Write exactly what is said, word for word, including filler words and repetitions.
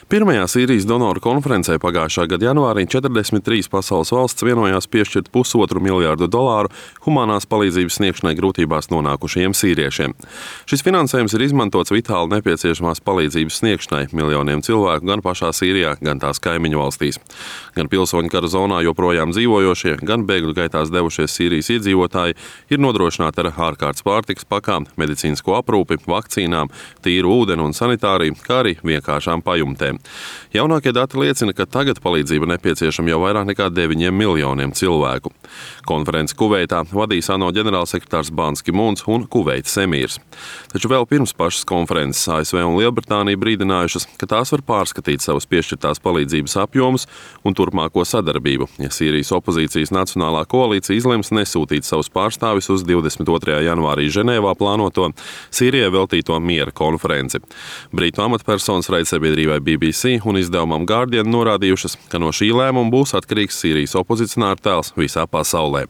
Pirmajā Sīrijas donoru konferencē pagājušā gada janvārī četrdesmit trīs pasaules valsts vienojās piešķirt pusotru miljārdu dolāru humanās palīdzības sniegšanai grūtībās nonākušajiem sīriešiem. Šis finansējums ir izmantots vitāli nepieciešamās palīdzības sniegšanai miljoniem cilvēku gan pašā Sīrijā, gan tās kaimiņu valstīs. Gan pilsoņu kara zonā joprojām dzīvojošie, gan bēgļu gaitās devušies Sīrijas iedzīvotāji ir nodrošināti ar ārkārtas pārtikas pakām, medicīnisko aprūpi, vakcīnām, tīru ūdeni un sanitāriju, kā arī vienkāršām pajumtēm. Jaunākie dati liecina, ka tagad palīdzība nepieciešama jau vairāk nekā deviņiem miljoniem cilvēku. Konferenci Kuveitā vadīs ANO ģenerālsekretārs Bans Ki-mūns un Kuveitas emīrs. Taču vēl pirms pašas konferences A S V un Lielbritānija brīdinājušas, ka tās var pārskatīt savas piešķirtās palīdzības apjomus un turpmāko sadarbību, ja Sīrijas opozīcijas Nacionālā koalīcija izlems nesūtīt savus pārstāvis uz divdesmit otrajā janvārī Ženēvā plānoto Sīrijai veltīto miera konferenci. Brītu amatpersonas raidsabiedrībai B B C un izdevumam Guardian norādījušas, ka no šī lēmuma būs atkarīgs Sīrijas opozicionāru tēls visā pasaulē.